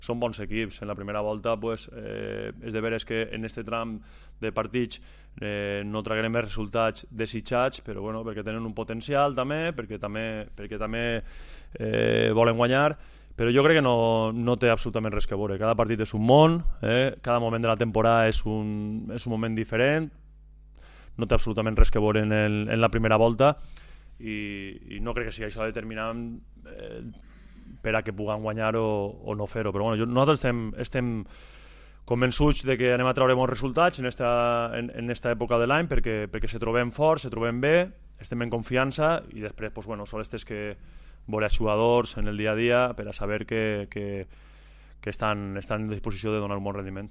són bons equips. En la primera volta pues, és de veres que en aquest tram de partits no traguem els resultats desitjats, però bueno, perquè tenen un potencial també, perquè també volen guanyar, però jo crec que no té absolutament res que veure. Cada partit és un món, cada moment de la temporada és un moment diferent, no té absolutament res que veure en la primera volta, i no crec que sigui això determinant per a que puguem guanyar o no fer-ho, però bueno, nosaltres estem convençuts de que anem a treure bons resultats en esta època de l'any perquè se trobem forts, se trobem bé, estem en confiança, i després pues, bueno, sols tens que veure els jugadors en el dia a dia per a saber que estan en disposició de donar un bon rendiment.